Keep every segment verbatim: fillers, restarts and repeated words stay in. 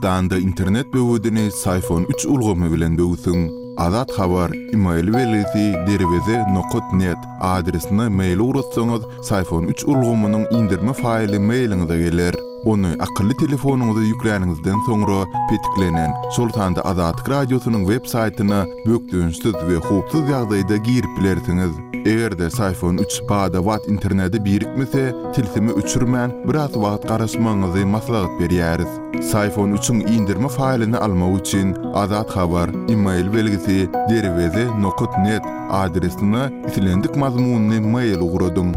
Türkmenistanda internet böwedini Syfon üç ulgamy bilen böwsüň. Azat Habar, email belgisi derweze nokat net adresine mail ugratsaňyz, Syfon üç ulgamynyň indirme faýly mailiňize geler. Ony akylly telefonyňyza ýükläniňizden soňra petiklenen, şol sanda Azatlyk Radiosynyň web saýtyna bökdençsiz we howpsuz ýagdaýda girip bilersiňiz. Eger-de Syfon üç bada-bat internete birikmese, tilsimi öçürmän biraz wagt garaşmagyňyzy maslahat berýäris. Syfon üçiň indirme faýlyny almak üçin Azat Habar, email belgisi derweze nokat net adresine islendik mazmunyny mail ugradyň.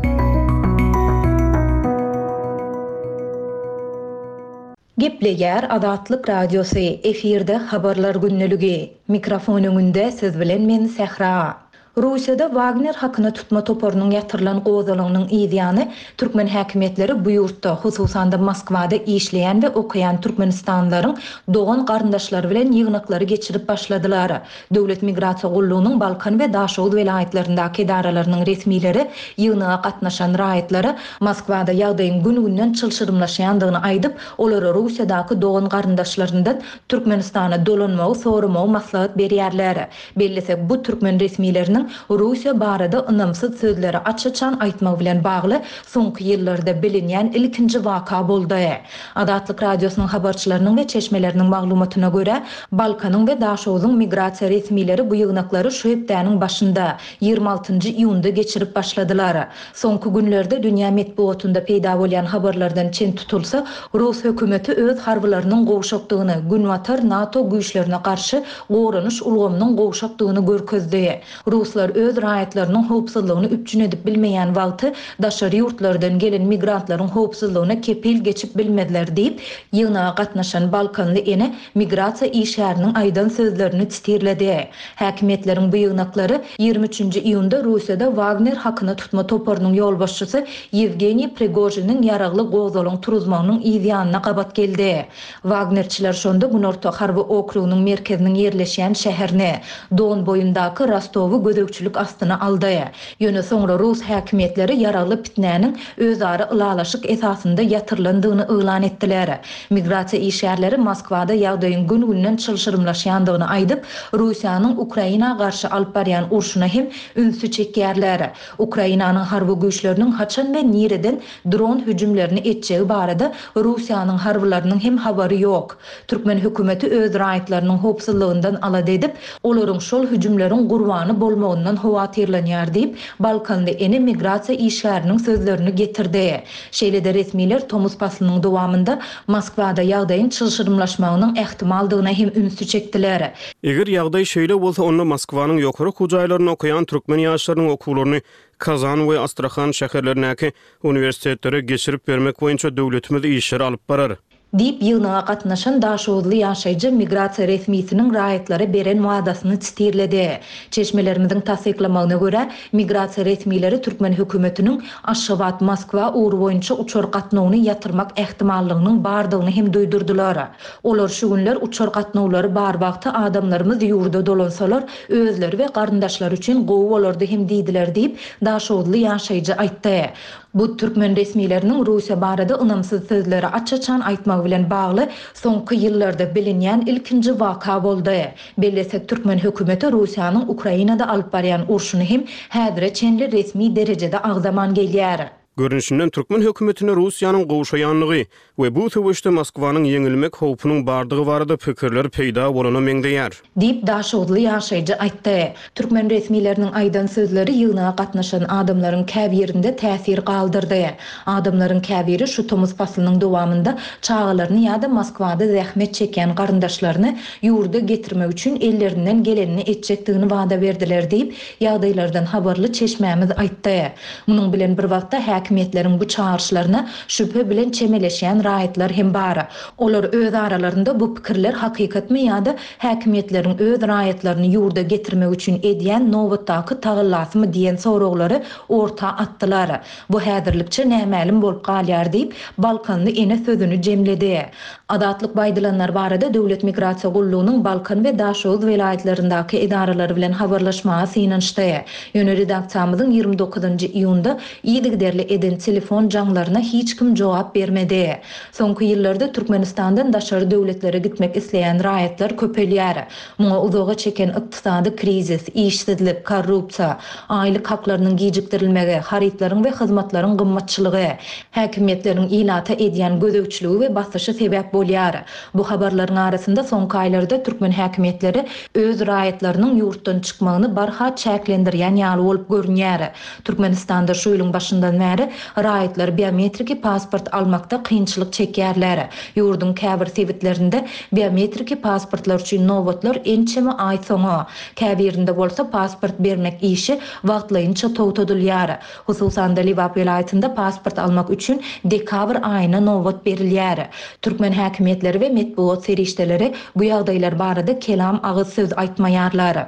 Gepleýär Azatlyk Radiosy, efirde habarlar günlügi. Mikrofon öňünde siz bilen men Sähra. Russiýada Wagner hakyna tutma toparynyň ýatyrylan gozalagynyň ýany türkmen häkimiýetleri bu ýurtda, hususan-da Moskwada işleýän we okaýan türkmenistanlylaryň dogan garyndaşlary bilen ýygnaklary geçirip başladylar. Döwlet migrasiýa gullugynyň Balkan we Daşoguz welaýatlaryndaky edaralarynyň resmileri ýygnaga gatnaşan raýatlara Moskwada ýagdaýyň gün-günden çylşyrymlaşýandygyny aýdyp, olara Russiýadaky dogan garyndaşlaryndan Türkmenistana dolanmagy soramagy maslahat berýärler. Bellesek, bu türkmen resmileriniň Russiýa barada ynamsyz sözleri aç-açan aýtmak bilen bagly soňky ýyllarda bilinýän ilkinji waka boldy. Azatlyk Radiosynyň habarçylarynyň we çeşmeleriniň maglumatyna görä, Balkanyň we Daşoguzyň migrasiýa resmileri bu ýygnaklary şu hepdäniň başynda ýigrimi altynjy iýunda geçirip başladylar. Soňky günlerde dünýä metbugatynda peýda bolýan habarlardan çen tutulsa, Rus hökümeti öz harbylarynyň gowşakdygyny, Günbatar NATO güýçlerine garşy goranyş ulgamynyň gowşakdygyny görkezdi. Ruslar öz raýatlarynyň howpsuzlygyny üpjün edip bilmeýän wagty daşary ýurtlardan gelen migrantlaryň howpsuzlygyna kepil geçip bilmezler diýip, ýygnaga gatnaşan Balkanly ene migrasiýa işgäriniň aýdan sözlerini titirledi. Häkimiýetleriň bu ýygnaklary ýigrimi üçünji iýunda Russiýada Wagner hakyna tutma toparynyň ýolbaşçysy Ýewgeniý Prigojiniň ýaragly gozalaň turuzmagynyň ýanyna gabat geldi. Wagnerçiler şonda Günorta harby okrugynyň merkeziniň ýerleşýän şäherine, Don boýundaky Rostowy gözegçilik astyna aldy. Ýöne soňra Rus häkimiýetleri ýaragly pitnäniň özara ylalaşyk esasynda ýatyrylandygyny yglan etdiler. Migrasiýa işgärleri Moskwada ýagdaýyň gün-günden çylşyrymlaşýandygyny aýdyp, Russiýanyň Ukraina garşy alyp barýan urşuna hem ünsi çekýärler. Ukrainanyň harby güýçleriniň haçan we nireden dron hüjümlerini etjegi barada Russiýanyň harbylarynyň hem habary ýok. Türkmen hökümeti öz raýatlarynyň howpsuzlygyndan alada edip, olaryň şol hüjümleriň gurbany bolmagyndan howatyrlanýar diýip, Balkanly ene migrasiýa işgäriniň sözlerini getirdi. Şeýle-de resmiler tomus paslynyň dowamynda Moskwada ýagdaýyň çylşyrymlaşmagynyň ähtimaldygyna hem ünsi çekdiler. Eger ýagdaý şeýle bolsa, onda Moskwanyň ýokary okuw jaýlaryny okaýan türkmen ýaşlarynyň okuwlaryny Kazan we Astrahan şäherlerindäki uniwersitetlere geçirip bermek boýunça döwletimiz işleri alyp barar. Diýip, ýygnaga gatnaşan Daşoguzly ýaşaýjy migrasiýa resmisiniň raýatlara beren wadasyny titirledi. Çeşmelerimiziň tassyklamagyna görä, migrasiýa resmileri türkmen hökümetiniň Aşgabat Moskwa ugry boýunça uçar gatnawyny ýatyrmak ähtimallygynyň bardygyny hem duýdurdylar. Olar şu günler uçar gatnawlary bar wagty adamlarymyz ýurda dolansalar, özleri we garyndaşlary üçin gowy bolardy hem diýdiler diýip, Daşoguzly ýaşaýjy aýtdy. Bu türkmen resmileriniň Russiýa barada ynamsyz sözleri aç-açan aýtmagy bilen bagly soňky ýyllarda bilinýän ilkinji waka boldy. Bellesek, türkmen hökümeti Russiýanyň Ukrainada alyp barýan urşuny hem häzire çenli resmi derejede agzaman gelýär. Görnüşinden türkmen hökümetine Russiýanyň gowşaýanlygy we bu söweşde Moskwanyň ýeňilmek howpunyň bardygy barada pikirler peýda bolana meňzeýär. Diýip, Daşoguzly ýaşaýjy aýtdy. Türkmen resmileriniň aýdan sözleri ýygnaga gatnaşan adamlaryň käbirinde täsir galdyrdy. Adamlaryň käbiri şu tomus paslynyň dowamynda çagalaryny ýa-da Moskwada zähmet çekýän garyndaşlaryny ýurda getirmek üçin ellerinden gelenini etjekdigini wada berdiler diýip, ýagdaýlardan habarly çeşmämiz aýtdy. Munuň bilen bir wagtda häkimiýetleriň bu çagyryşlaryna şübhe bilen çemeleşýän raýatlar hem bar. Olar öz aralarynda bu pikirler hakykatmy ýa-da häkimiýetleriň öz raýatlaryny ýurda getirmek üçin edýän nobatdaky tagallasymy diýen soraglary orta atdylar. Bu häzirlikçe nämälim bolup galýar diýip, Balkanly ene sözüni jemledi. Azatlyk baýdylanlar barada Döwlet migrasiýa gullugynyň Balkan we Daşoguz welaýatlaryndaky edaralary bilen habarlaşmaga synanyşdy. Ýöne redaksiýamyzyň ýigrimi dokuzynjy iýunda yzygiderli eden telefon jaňlaryna hiç kim jogap bermedi. Soňky ýyllarda Türkmenistandan daşary döwletlere gitmek isleýän raýatlar köpelýär. Muňa uzaga çeken ykdysady krizis, işsizlik, korrupsiýa, aýlyk haklarynyň gijikdirilmegi, harytlaryň we hyzmatlaryň gymmatçylygy, häkimiýetleriň ilata edýän gözegçiligi we basyşy sebäp bolýar. Bu habarlaryň arasynda soňky aýlarda türkmen häkimiýetleri öz raýatlarynyň ýurtdan çykmagyny barha çäklendirýän ýaly bolup görünýär. Türkmenistanda şu ýylyň başyndan bäri raýatlar biometriki pasport almakda kynçylyk çekýärler. Ýurduň käbir sebitlerinde biometriki pasportlar üçin nobatlar ençeme aý soňa, käbirinde bolsa pasport bermek işi wagtlaýynça togtadylýar. Hususan-da, Lebap welaýatynda pasport almak üçin dekabr aýyna nobat berilýär. Türkmen häkimiýetleri we metbugat serişdeleri bu ýagdaýlar barada kelam agyz söz aýtmaýarlar.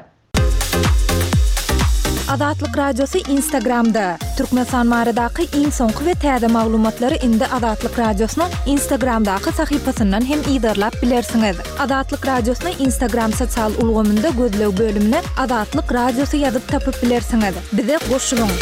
Azatlyk Radiosy Instagramda, Türkmenistan baradaky iň soňky we täze maglumatlary indi Azatlyk Radiosynyň Instagramdaky sahypasyndan hem yzarlap bilersiňiz. Azatlyk Radiosyny Instagram sosial ulgamynda gözleg bölümine Azatlyk Radiosy ýazyp tapyp bilersiňiz. Bize goşulyň!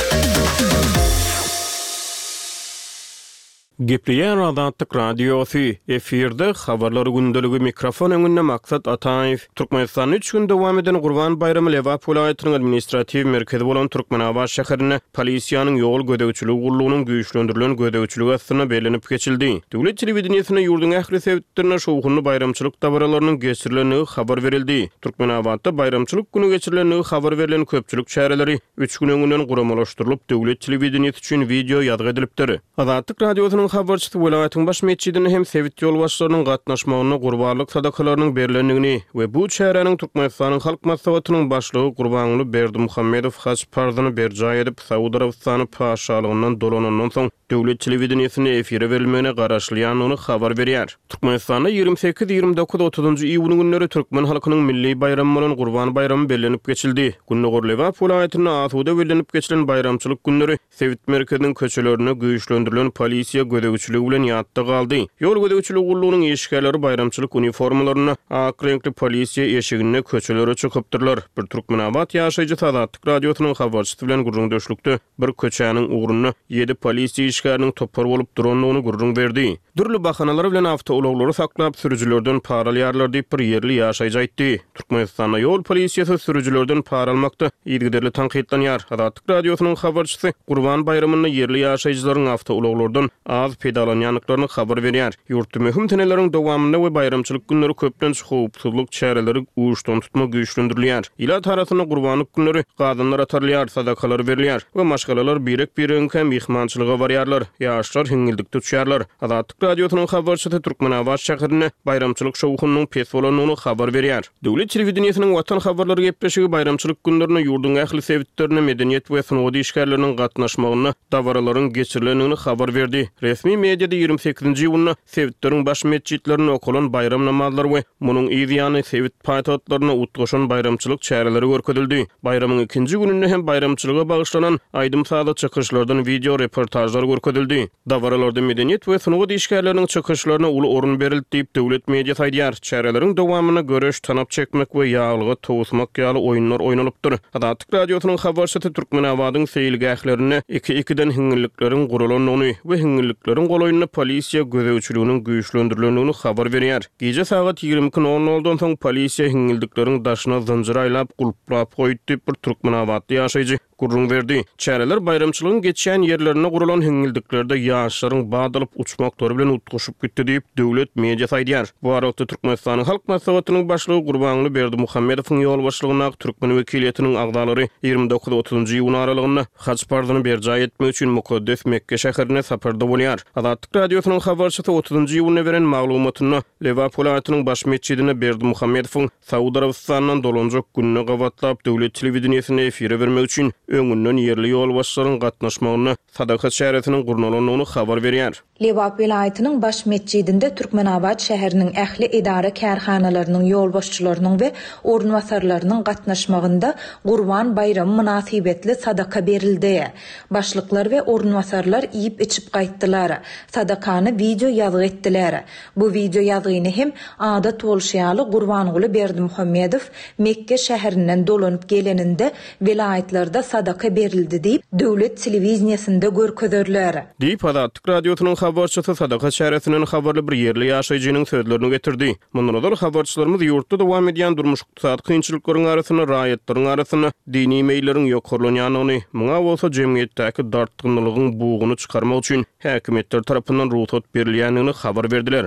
Gepleýär Azatlyk Radiosy, efirde Habarlar gündeligi, mikrofon öňünde Maksat Ataýew. Türkmenistanda üç gün dowam eden Gurban baýramy Lebap welaýatynyň administratiw merkezi bolan Türkmenabat şäherinde polisiýanyň ýol gözegçiligi gullugynyň güýçlendirilen gözegçiligi astynda bellenip geçildi. Döwlet telewideniýesinde ýurduň ähli sebitlerinde şowhunly baýramçylyk dabaralarynyň geçirilendigi habar berildi. Türkmenabatda baýramçylyk güni geçirilendigi habar berlen köpçülik çäreleri üç gün öňünden guramalaşdyrylyp, döwlet telewideniýesi üçin wideo ýazgy edilipdir. Azatlyk Radiosynyň habarçysy welaýatyň baş metjidinde hem sebit ýolbaşçylarynyň gatnaşmagynda gurbanlyk sadakalarynyň berlendigini we bu çäräniň Türkmenistanyň Halk Maslahatynyň Başlygy Gurbanguly Berdimuhamedow haj parzyny berjaý edip, Saud Arabystany Patyşalygyndan dolanandan soň döwlet telewideniýesinde efire berilmegine garaşylýandygyny habar berýär. Türkmenistanda ýigrimi sekiz, ýigrimi dokuz, otuzynjy iýun günleri türkmen halkynyň milli baýramy bolan Gurban baýramy bellenip geçildi. Gündogar Lebap welaýatynda asuda bellenip geçilen baýramçylyk günleri sebit merkeziniň köçelerinde güýçlendirilen polisiýa gözegçiligi bilen ýatda galdy. Ýol gözegçiligi gullugynyň işgärleri baýramçylyk uniformalarynda, ak reňkli polisiýa eşiginde köçelere çykypdyrlar. Bir türkmenabat ýaşaýjysy Azatlyk Radiosynyň habarçysy bilen gürrüňdeşlikde bir köçäniň ugrunda ýedi polisiýa işgäriniň topar bolup durandygyny gürrüň berdi. Dürli bahanalar bilen awtoulaglary saklap, sürüjilerden para alýarlar diýip, bir ýerli ýaşaýjy aýtdy. Türkmenistanda ýol polisiýasy sürüjilerden para almakda yzygiderli tankytlanýar. Azatlyk Radiosynyň habarçysy Gurban baýramynda ýerli ýaşaýjylaryň awtoulaglardan az peýdalanýandyklaryny habar berýär. Ýurtda möhüm seneleriň dowamynda we baýramçylyk günleri köplenç howpsuzlyk çäreleri uçdantutma güýçlendirilýär. Ilat arasynda gurbanlyk günleri gazanlar atarylýar, sadakalar berilýär we maşgalalar birek-biregiňkä myhmançylyga barýarlar, ýaşlar hiňňildikde uçýarlar. Azatlyk Radiosynyň habarçysy Türkmenabat şäherinde baýramçylyk şowhunynyň pes bolandygyny habar berýär. Döwlet telewideniýesiniň Watan habarlary gepleşigi baýramçylyk günlerinde ýurduň ähli sebitlerinde medeniýet we sungat işgärleriniň gatnaşmagynda dabaralaryň geçirilendigini habar berdi. Resmi mediada ýigrimi sekizinji iýunda sebitleriň baş metjitlerinde okalan baýram namazlary we munuň yz ýany sebit paýtagtlarynda utgaşan baýramçylyk çäreleri görkezildi. Baýramyň ikinji gününde hem baýramçylyga bagyşlanan aýdym-sazly çykyşlardan wideo reportažlar görkezildi. Dabaralarda medeniýet we sungat işgärleriniň çykyşlaryna uly orun berildi diýip, döwlet mediasy aýdýar. Çäreleriň dowamynda göreş, tanap çekmek we ýaglyga towusmak ýaly oýunlar oýnalypdyr. Azatlyk Radiosynyň habarçysy Türkmenabadyň seýilgählerinde iki-ikiden hiňňillikleriň guralandygyny we hiňňillikleriň golaýynda polisiýa gözegçiliginiň güýçlendirilendigini habar berýär. Gije sagat ýigrimi iki nol noldan soň polisiýa hiňňildikleriň daşyna zynjyr aýlap, gulplap goýdy diýip, bir türkmenabatly ýaşaýjy gürrüň berdi. Çäreler baýramçylygyň geçýän ýerlerinde guralan hiňňildiklerde ýaşlaryň bat alyp uçmaklary bilen utgaşyp gitdi diýip, döwlet mediasy aýdýar. Bu aralykda Türkmenistanyň Halk Maslahatynyň Başlygy Gurbanguly Berdimuhamedowyň ýolbaşçylygyndaky türkmen wekiliýetiniň agzalary ýigrimi dokuz otuzynjy iýun aralygynda haj parzyny berjaý etmek üçin mukaddes Mekge şäherine saparda bolýar. Azatlyk Radiosynyň habarçysy otuzynjy iýunda beren maglumatynda Lebap welaýatynyň baş metjidinde Berdimuhamedowyň Saud Arabystanyndan dolanjak gününe gabatlap döwlet telewideniýesinde efire bermek üçin öňünden ýerli ýolbaşçylaryň gatnaşmagynda sadaka çäresiniň gurnalandygyny habar berýär. Lebap welaýatynyň baş metjidinde Türkmenabat şäheriniň ähli edara-kärhanalarynyň ýolbaşçylarynyň we orunbasarlarynyň gatnaşmagynda Gurban baýramy mynasybetli sadaka berildi. Başlyklar we orunbasarlar iýip-içip gaýtdylar. Sadakany wideo ýazgy etdiler. Bu wideo ýazgyny hem adat bolşy ýaly Gurbanguly Berdimuhamedow Mekge şäherinden dolanyp geleninde welaýatlarda sadaka berildi diýip, döwlet telewideniýesinde görkezerler. Diýip, Azatlyk Radiosynyň habarçysy sadaka çäresinden habarly bir ýerli ýaşaýjynyň sözlerini getirdi. Mundan ozal habarçylarymyz ýurtda dowam edýän durmuş-ykdysady kynçylyklaryň arasynda raýatlaryň arasynda dini meýilleriň ýokarlanýandygyny, muňa bolsa jemgyýetdäki dartgynlygyň buguny çykarmak üçin häkimiýetler tarapyndan rugsat berilýändigini habar berdiler.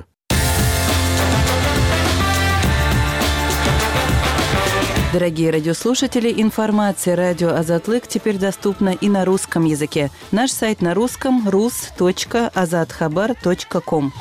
Дорогие радиослушатели, информация радио Азатлык теперь доступна и на русском языке. Наш сайт на русском rus.azathabar.com.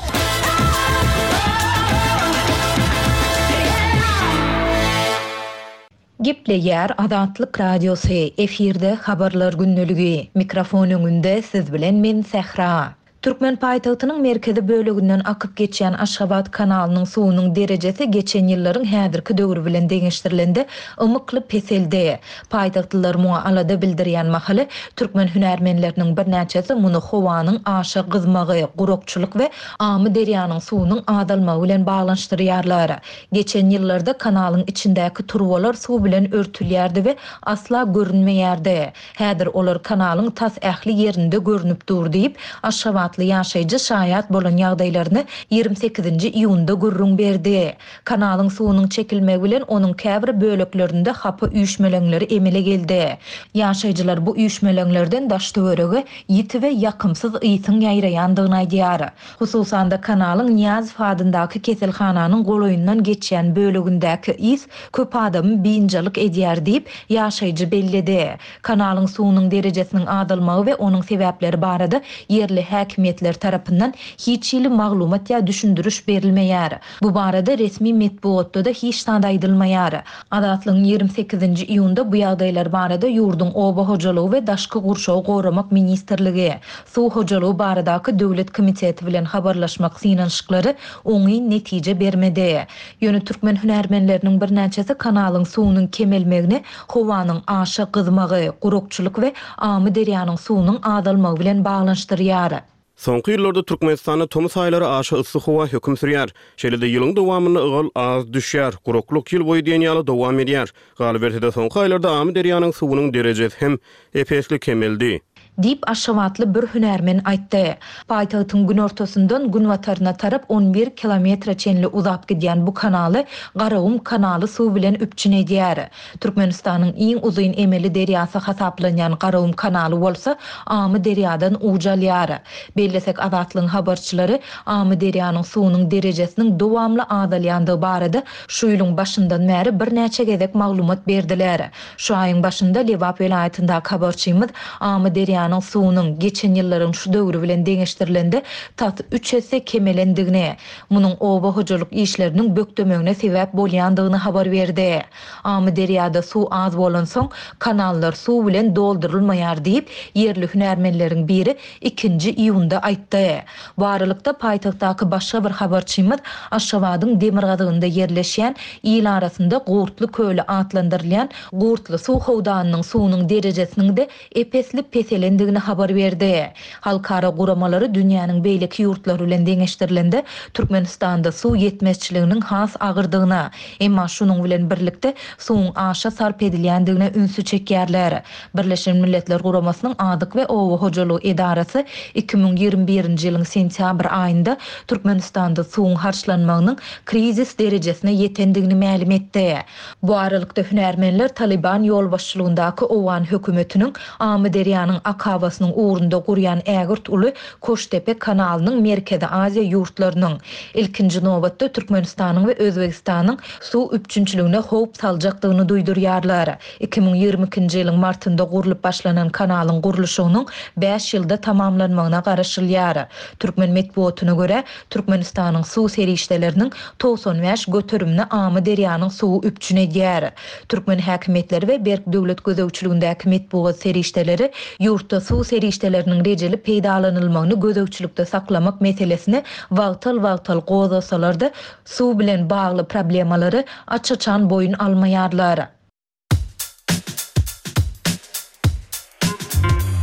Gepleýär Azatlyk Radiosy, efirde habarlar gündeligi. Mikrofon öňünde siz bilen men Sähra. Türkmen paýtagtynyň merkezi böleginden akyp geçýän Aşgabat kanalynyň suwunyň derejesi geçen ýyllaryň häzirki döwri bilen deňeşdirilende ymykly peseldi. Paýtagtlylar muňa alada bildirýän mahaly türkmen hünärmenleriniň birnäçesi muny howanyň aşa gyzmagy, gurakçylyk we Amyderýanyň suwunyň azalmagy bilen baglanyşdyrýarlar. Geçen ýyllarda kanalyň içindäki turbalar suw bilen örtülýärdi we asla görünmeýärdi. Häzir olar kanalyň tas ähli ýerinde görünip dur diýip, Aşgabatly ýaşaýjy şaýat bolan ýagdaýlaryny ýigrimi sekizinji iýunda gürrüň berdi. Kanalyň suwunyň çekilmegi bilen onuň käbir böleklerinde hapa üýşmeleňleri emele geldi. Ýaşaýjylar bu üýşmeleňlerden daş-töwerege ýiti we ýakymsyz ysyň ýaýraýandygyny aýdýar. Hususan-da kanalyň Nyýazow adyndaky keselhananyň golaýyndan geçýän bölegindäki ys köp adamy biynjalyk edýär diýip, ýaşaýjy belledi. Kanalyň suwunyň derejesiniň azalmagy we onuň sebäpleri barada ýerli häkimiýetler tarapyndan hiç hili maglumat ýa düşündiriş berilmeýär. Bu barada resmi metbugatda-da hiç zat aýdylmaýar. Azatlygyň ýigrimi sekizinji iýunda bu ýagdaýlar barada ýurduň Oba hojalygy we daşky gurşawy goramak ministrligi, Suw hojalygy baradaky döwlet komiteti bilen habarlaşmak synanyşyklary oňyn netije bermedi. Ýöne türkmen hünärmenleriniň birnäçesi kanalyň suwunyň kemelmegini howanyň aşa gyzmagy, gurakçylyk we Amyderýanyň suwunyň azalmagy bilen baglanyşdyrýar. Soňky ýyllarda Türkmenistanda tomus aýlary aşa yssy howa höküm sürýär. Şeýle-de ýylyň dowamynda ygal az düşýär, guraklyk ýyl boýy diýen ýaly dowam edýär. Galyberse-de soňky aýlarda Amyderýanyň suwunyň derejesi hem ep-esli kemeldi. Diýip, Aşgabatly bir hünärmen aýtdy. Paýtagtyň günortasyndan günbataryna tarap on bir kilometre çenli uzap gidýän bu kanaly Garagum kanaly suw bilen üpjün edýär. Türkmenistanyň iň uzyn emeli derýasy hasaplanýan Garagum kanaly bolsa Amyderýadan uç alýar. Bellesek, Azatlygyň habarçylary Amyderýanyň suwunyň derejesiniň dowamly azalýandygy barada şu ýylyň başyndan bäri birnäçe gezek maglumat berdiler. Şu aýyň başynda Lebap welaýatyndaky habarçymyz Amyderýanyň suwunyň geçen ýyllaryň şu döwri bilen deňeşdirilende tas üç esse kemelendigini, munuň oba hojalyk işleriniň bökdemegine sebäp bolýandygyny habar berdi. Amyderýada suw az bolansoň kanallar suw bilen doldurylmaýar diýip, ýerli hünärmenleriň biri ikinji iýunda aýtdy. Bu aralykda paýtagtdaky başga bir habarçymyz Aşgabadyň demirgazygynda ýerleşýän il arasynda Gurtly köli atlandyrylýan Gurtly suw howdanynyň suwunyň derejesiniň de ep-esli peselendigini habar berdi. Halkara guramalary dünýäniň beýleki ýurtlary bilen deňeşdirilende Türkmenistanda suw ýetmezçiliginiň has agyrdygyna, emma şunuň bilen birlikde suwuň aşa sarp edilýändigine ünsi çekýärler. Birleşen Milletler Guramasynyň Azyk we Oba hojalygy edarasy iki müň ýigrimi birinji ýylyň sentýabr aýynda Türkmenistanda suwuň harçlanmagynyň krizis derejesine ýetendigini mälim etdi. Bu aralykda hünärmenler Taliban ýolbaşçylygyndaky Owgan hökümetiniň Amyderýanyň akabasynyň ugrunda gurýan ägirt uly Koştepe kanalynyň Merkezi Aziýa ýurtlarynyň, ilkinji nobatda Türkmenistanyň we Özbegistanyň suw üpjünçiligine howp saljakdygyny duýdurýarlar. Iki müň ýigrimi ikinji ýylyň martynda gurlup başlanan kanalyň gurluşygynyň bäş ýylda tamamlanmagyna garaşylýar. Türkmen metbugatyna görä, Türkmenistanyň suw serişdeleriniň togsan bäş göterimini Amyderýanyň suwy üpjün edýär. Türkmen häkimiýetleri we berk döwlet gözegçiligindäki metbugat serişdeleri ýurtda suw serişdeleriniň rejeli peýdalanylmagyny gözegçilikde saklamak meselesini wagtal-wagtal gozgasalar-da, suw bilen bagly problemalary aç-açan boýun almaýarlar.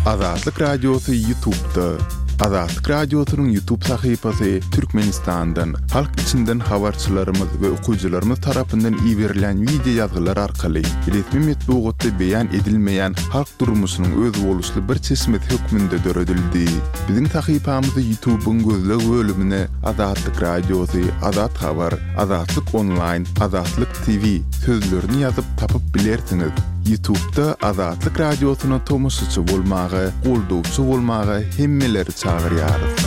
Azatlyk Radiosy YouTube'da. Azatlyk Radiosynyň YouTube sahypasy Türkmenistandan, halk içinden habarçylarymyz we okyjylarymyz tarapyndan iberilen wideo ýazgylar arkaly resmi metbugatda beýan edilmeýän halk durmuşynyň özboluşly bir çeşmesi hökmünde döredildi. Biziň sahypamyzy YouTube'yň gözleg bölümine Azatlyk Radiosy, Azat Habar, Azatlyk Online, Azatlyk T V sözlerini ýazyp tapyp bilersiňiz. YouTube'da Azatlyk Radiosyna tomaşaçy bolmaga, goldawçy bolmaga hemmeleri çagyrýarys.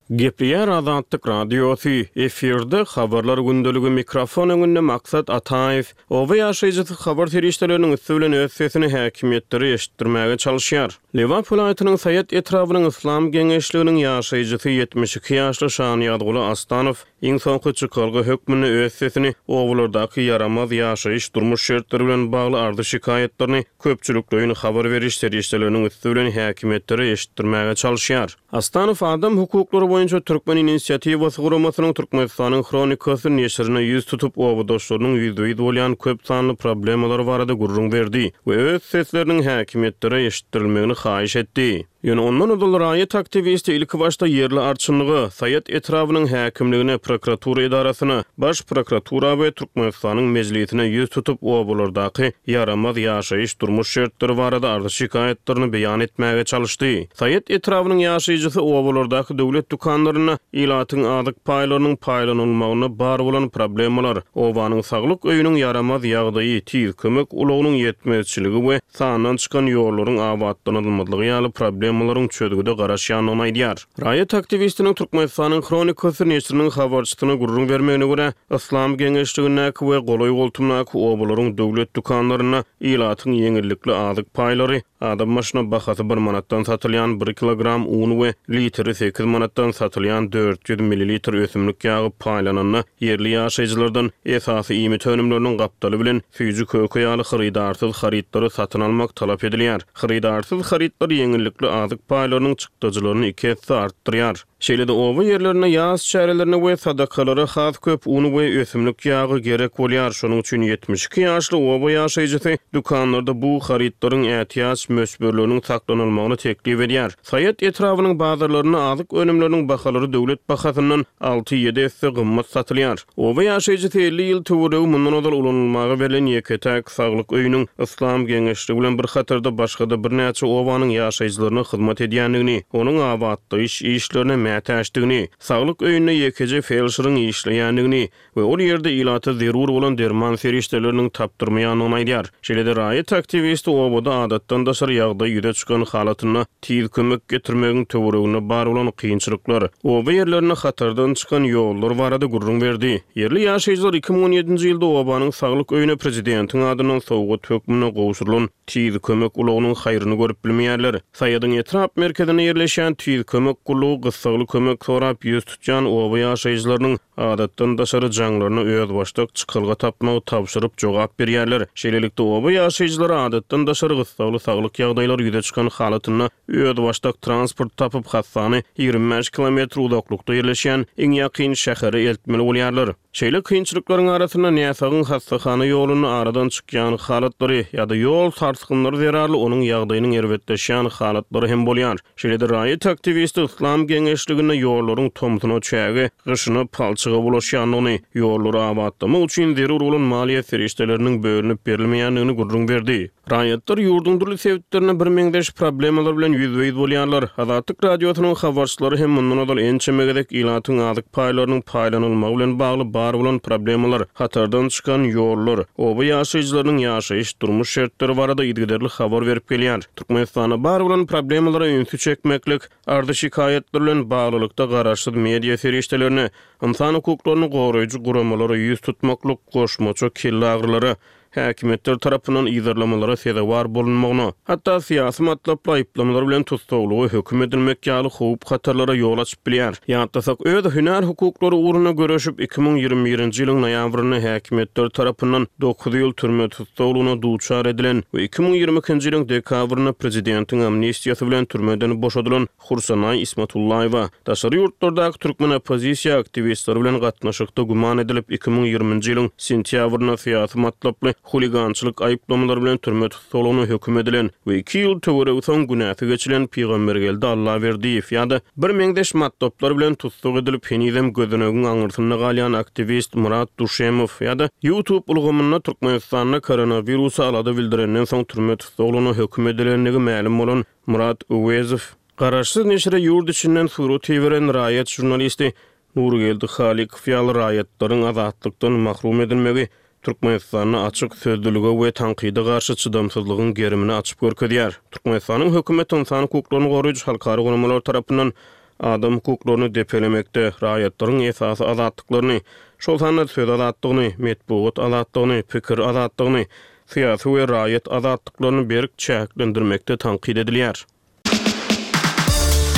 Gepleýär Azatlyk Radiosy, efirde habarlar gündeligi, mikrofon öňünde Maksat Ataýew. Oba ýaşaýjysy habar serişdeleriniň üsti bilen öz sesini häkimiýetlere eşitdirmäge çalyşýar. Lebap welaýatynyň Saýat etrabynyň Yslam geňeşliginiň ýaşaýjysy ýetmiş iki ýaşly Şanyýazguly Astanow iň soňky çykalga hökmünde öz sesini obalardaky ýaramaz ýaşaýyş durmuş şertleri bilen bagly ardy şikaýatlaryny köpçülikleýin habar beriş serişdeleriniň üsti bilen häkimiýetlere eşitdirmäge çalyşýar. Astanow adam hukuklary boýunça Türkmen inisiatiwasy guramasynyň Türkmenistanyň Hronikasy neşirine ýüz tutup obadaşlarynyň ýüzbe-ýüz bolýan köp sanly problemalar barada gürrüň berdi we öz sesleriniň häkimiýetlere eşitdirilmegini haýyş etdi. Ýöne ondan ozal raýat aktiwisti ilki başda ýerli arçynlyga, Saýat etrabynyň häkimligine, prokuratura edarasyna, baş prokuratura we Türkmenistanyň mejlisine ýüz tutup obalardaky ýaramaz ýaşaýyş durmuş şertleri barada arzy şikaýatlaryny beýan etmäge çalyşdy. Saýat etrabynyň ýaşaýjysy obalardaky döwlet dükanlarynda ilatyň azyk paýlarynyň paýlanylmagyna bar bolan problemalar, obanyň saglyk öýüniň ýaramaz ýagdaýy, tiz kömek ulagynyň ýetmezçiligi we sandan çykan ýollaryň abatlanylmazlygy ýaly problemalaryň çözgüde garaşýandygyny aýdýar. Raýat aktiwistiniň Türkmenistanyň Hronikasy neşiriniň habarçysyna gürrüň bermegine görä, Yslam geňeşligindäki we golaý goltumdaky obalaryň döwlet dükanlarynda ilatyň ýeňillikli azyk paýlary, adam başyna bahasy bir manatdan satylýan bir kilogram un we litri sekiz manatdan satylýan dört ýüz millilitr ösümlik ýagy paýlananda ýerli ýaşaýjylardan esasy iýmit önümleriniň gapdaly bilen süýji köke ýaly hyrydarsyz harytlary satyn almak talap edilýär. Hyrydarsyz harytlar ýeňillikli azyk paýlarynyň çykdajylaryny iki esse artdyrýar. Şeýle-de oba ýerlerinde ýaz çärelerine we sadakalara has köp un we ösümlik ýagy gerek bolýar. Şonuň üçin ýetmiş iki ýaşly oba ýaşaýjysy dükanlarda bu harytlaryň ätiýaç möçberleriniň saklanylmagyny teklip edýär. Saýat etrabynyň bazarlarynda azyk önümleriniň bahalary döwlet bahasyndan alty ýedi esse gymmat satylýar. Oba ýaşaýjysy elli ýyl töweregi mundan ozal ulanylmaga berlen ýeke-täk saglyk öýüniň Yslam geňeşligi bilen bir hatarda başga-da birnäçe obanyň ýaşaýjylaryna hyzmat edýändigini, onuň abatlaýyş işlerine mätäçdigini, saglyk öýünde ýekeje felşeriň işleýändigini we ol ýerde ilata zerur bolan derman serişdeleriniň tapdyrmaýandygyny aýdýar. Şeýle-de raýat aktiwisti obada adatdan daşary ýagdaý ýüze çykan halatynda tiz kömek getirmegiň töwereginde bar bolan kynçylyklar, oba ýerlerinde hatardan çykan ýollar barada gürrüň berdi. Ýerli ýaşaýjylar iki müň on ýedinji ýylda obanyň saglyk öýüne prezidentiň adyndan sowgat hökmünde gowşurylan tiz kömek ulagynyň haýryny görüp bilmeýärler. Saýadyň etrap merkezinde ýerleşen tiz kömek gullugy gyssagly kömek sorap ýüz tutýan oba ýaşaýjylarynyň adatdan daşary jaňlaryna özbaşdak çykalga tapmagy tabşyryp jogap berýärler. Şeýlelikde oba ýaşaýjylary adatdan daşary gyssagly saglyk ýagdaýlary ýüze çykan halatynda özbaşdak transport tapyp hassany ýigrimi bäş kilometr uzaklykda ýerleşen iň ýakyn şähere eltmeli bolýarlar. Şeýle kynçylyklaryň arasynda näsagyň hassahana ýolunda aradan çykýan halatlary ýa-da ýol sarsgynlary zerarly onuň ýagdaýynyň erbetleşýän halatlary hem bolýar. Şeýle-de raýat aktiwisti Yslam geňeşliginde ýollaryň tomsuna çäge, gyşyna palçyga bulaşýandygyny, ýollary abatlamak üçin zerur bolan maliýe serişdeleriniň bölünip berilmeýändigini gürrüň berdi. Raýatlar ýurduň dürli sebitlerinde bir meňzeş problemalar bilen ýüzbe-ýüz bolýarlar. Azatlyk Radiosynyň habarçylary hem mundan ozal ençeme gezek ilatyň azyk paýlarynyň paýlanylmagy bilen bagly bar bolan problemalar, hatardan çykan ýollar, oba ýaşaýjylarynyň ýaşaýyş durmuş şertleri barada yzygiderli habar berip gelýär. Türkmenistanda bar bolan problemalara ünsi çekmeklik, ardy şikaýatlar bilen baglylykda garaşsyz media serişdelerine, insan hukuklaryny goraýjy guramalara ýüz tutmaklyk, goşmaça kelle agyrylara, häkimiýetler tarapyndan yzarlamalara sezewar bolunmagyna, hatda syýasy matlaply aýyplamalar bilen tussaglyga höküm edilmek ýaly howp hatarlara ýol açyp bilýär. Ýatlasak, öz hünär hukuklary ugrunda göreşip iki müň ýigrimi birinji ýylyň noýabrynda häkimiýetler tarapyndan dokuz ýyl türme tussaglygyna duçar edilen we iki müň ýigrimi ikinji ýylyň dekabrynda prezidentiň amnistiýasy bilen türmeden boşadylan Hursanaý Ismatullaýewa daşary ýurtlardaky türkmen oppozisiýa aktiwistleri bilen gatnaşykda güman edilip iki müň ýigriminji ýylyň sentýabrynda syýasy matlaply huligançylyk aýyplamalary bilen türme tussaglygyna höküm edilen we iki ýyl töweregi soň günäsi geçilen Pygambergeldi Allaberdiýew ýa-da bir meňzeş matlaplar bilen tussag edilip henizem gözenegiň aňyrsynda galýan aktiwist Murat Duşemow ýa-da YouTube ulgamynda Türkmenistanda koronawirusa alada bildirenden soň türme tussaglygyna höküm edilendigi mälim bolan Murat Öwezow, Garaşsyz neşire ýurt içinden surat iberen raýat žurnalisti Nurgeldi Halykow ýaly raýatlaryň azatlykdan mahrum edilmegi Türkmenistanda açyk sözlülige we tankyda garşy çydamsyzlygyň gerimini açyp görkezýär. Türkmenistanyň hökümeti ynsan hukuklaryny goraýjy halkara guramalar tarapyndan adam hukuklaryny depelemekde, raýatlaryň esasy azatlyklaryny, şol sanda söz azatlygyny, metbugat azatlygyny, pikir azatlygyny, syýasy we raýat azatlyklaryny berk çäklendirmekde tankyt edilýär.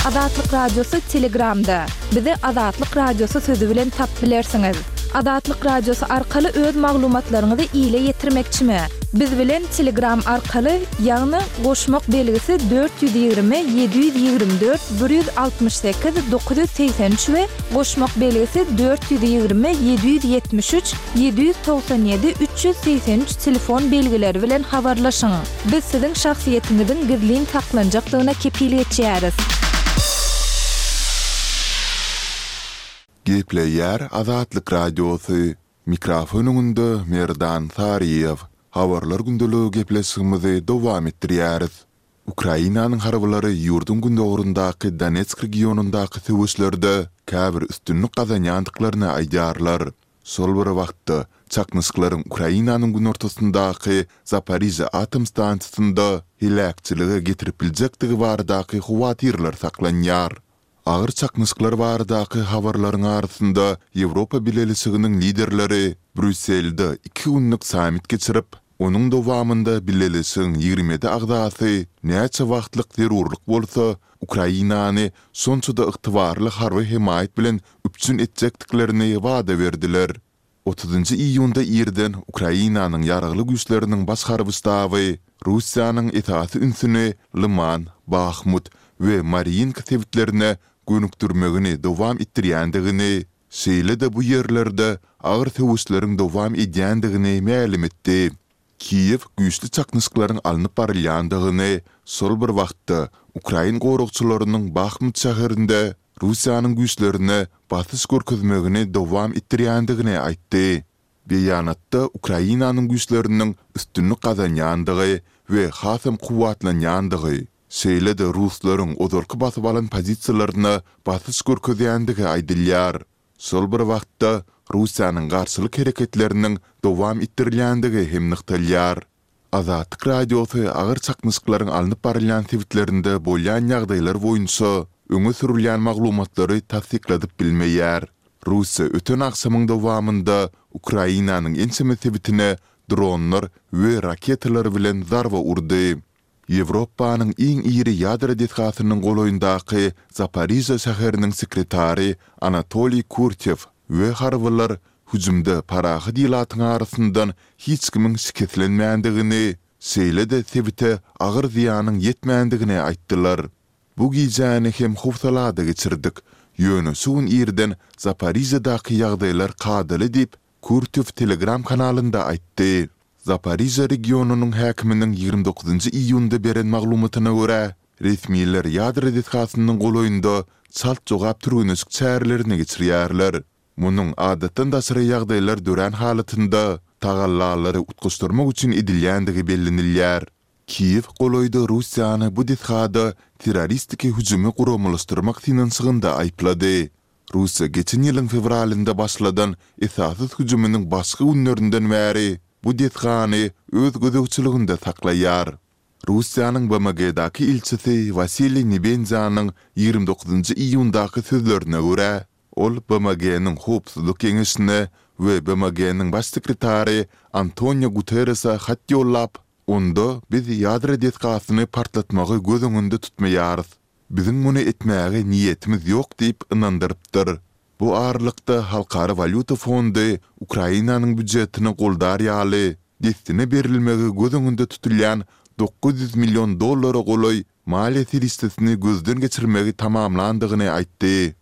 Azatlyk Radiosy Telegramda. Bizi Azatlyk Radiosy sözi bilen tapyp bilersiňiz. Azatlyk Radiosy arkaly öz maglumatlaryňyzy ile ýetirmekçimi? Biz bilen Telegram arkaly, ýagny goşmak belgisi dört ýüz ýigrimi ýedi ýüz ýigrimi dört bir ýüz altmyş sekiz dokuz ýüz segsen üç we goşmak belgisi dört ýüz ýigrimi ýedi ýüz ýetmiş üç ýedi ýüz togsan ýedi üç ýüz segsen üç telefon belgileri bilen habarlaşyň. Biz siziň şahsyýetiňiziň gizlin saklanjakdygyna kepil geçýäris. Gepleýär Azatlyk Radiosy, Mikrofon öňünde Merdan Saryýew. Habarlar gündeligi gepleşigimizi dowam etdirýäris. Ukrainanyň harbylary ýurduň gündogaryndaky Donetsk regionyndaky söweşlerde käbir üstünlik gazanýandyklaryny aýdýarlar. Şol bir wagtda, çaknyşyklaryň Ukrainanyň günortasyndaky Zaporižýa atom stansiýasynda heläkçilige getirip biljekdigi baradaky howatyrlar saklanýar. Agyr çaknyşyklar baradaky habarlaryň arasynda Ýewropa Bileleşiginiň liderleri Brýusselde iki günlük sammit geçirip, onuň dowamynda Bileleşigiň ýigrimi ýedi agzasy näçe wagtlyk zerurlyk bolsa, Ukrainany şonça-da ygtybarly harby hemaýat bilen üpjün etjekdiklerini wada berdiler. Otuzynjy iýunda irden Ukrainanyň Ýaragly Güýçleriniň Baş harby ştaby Russiýanyň esasy ünsüni Lyman, Bahmut we Marýinka sebitlerine gönükdirmegini dowam etdirýändigini, şeýle-de bu ýerlerde agyr söweşleriň dowam edýändigini mälim etdi. Kiýew güýçli çaknyşyklaryň alnyp barylýandygyny, şol bir wagtda ukrain goragçylarynyň Bahmut şäherinde Russiýanyň güýçlerine basyş görkezmegini dowam etdirýändigini aýtdy. Beýanatda Ukrainanyň güýçleriniň üstünlik gazanýandygy we hasam kuwwatlanýandygy, şeýle-de ruslaryň ozalky basyp alan pozisiýalaryna basyş görkezýändigi aýdylýar. Şol bir wagtda, Russiýanyň garşylyk hereketleriniň dowam etdirilýändigi hem nygtalýar. Azatlyk Radiosy agyr çaknyşyklaryň alnyp barylýan sebitlerinde bolýan ýagdaýlar boýunça öňe sürülýän maglumatlary tassykladyp bilmeýär. Russiýa öten agşamyň dowamynda Ukrainanyň ençeme sebitine dronlar we raketalar bilen zarba urdy. Ýewropanyň iň iri ýadro desgasynyň golaýyndaky Zaporižýa şäheriniň sekretary Anatoliý Kurtew we harbylar hüjümde parahat ilatyň arasyndan hiç kimiň şikeslenmändigini, şeýle-de sebite agyr zyýanyň ýetmändigini aýtdylar. Bu gijäni hem howsalada geçirdik, ýöne şu gün irden Zaporižýadaky ýagdaýlar kadaly diýip, Kurtew Telegram kanalynda aýtdy. Zaporižýa regionynyň häkiminiň ýigrimi dokuzynjy iýunda beren maglumatyna görä, resmiler ýadro desgasynyň golaýynda çalt jogap türgenleşik çärelerini geçirýärler. Munuň adatdan daşary ýagdaýlar dörän halatynda tagallalary utgaşdyrmak üçin edilýändigi bellenilýär. Kiýew golaýda Russiýany bu desgada terroristiki hüjümi guramalaşdyrmak synanyşygynda aýyplady. Russiýa geçen ýylyň fewralynda başladan esassyz hüjüminiň başky günlerinden bäri bu desgany öz gözegçiliginde saklaýar. Russiýanyň B M G-daky ilçisi Wasiliý Nebenzýanyň ýigrimi dokuzynjy iýundaky sözlerine görä, ol B M G-niň Howpsuzlyk Geňeşine we B M G-niň Baş sekretary Antonio Guterrese hat ýollap, onda biz ýadro desgasyny partlatmagy göz öňünde tutmaýarys. Biziň muny etmäge niýetimiz ýok diýip ynandyrypdyr. Bu aralykda Halkara walýuta fondy Ukrainanyň býujetini goldar ýaly dessine berilmegi göz öňünde tutulýan dokuz ýüz million dollara golaý maliýe serişdesini gözden geçirmegi tamamlandygyny aýtdy.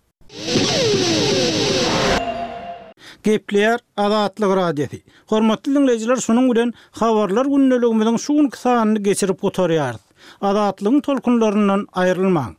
Gepleýär Azatlyk Radiosy. Hormatly diňleýjiler, şunuň bilen Habarlar gündeligimiziň şu günki sanyny geçirip gutarýarys. Azatlygyň tolkunlaryndan aýrylmaň.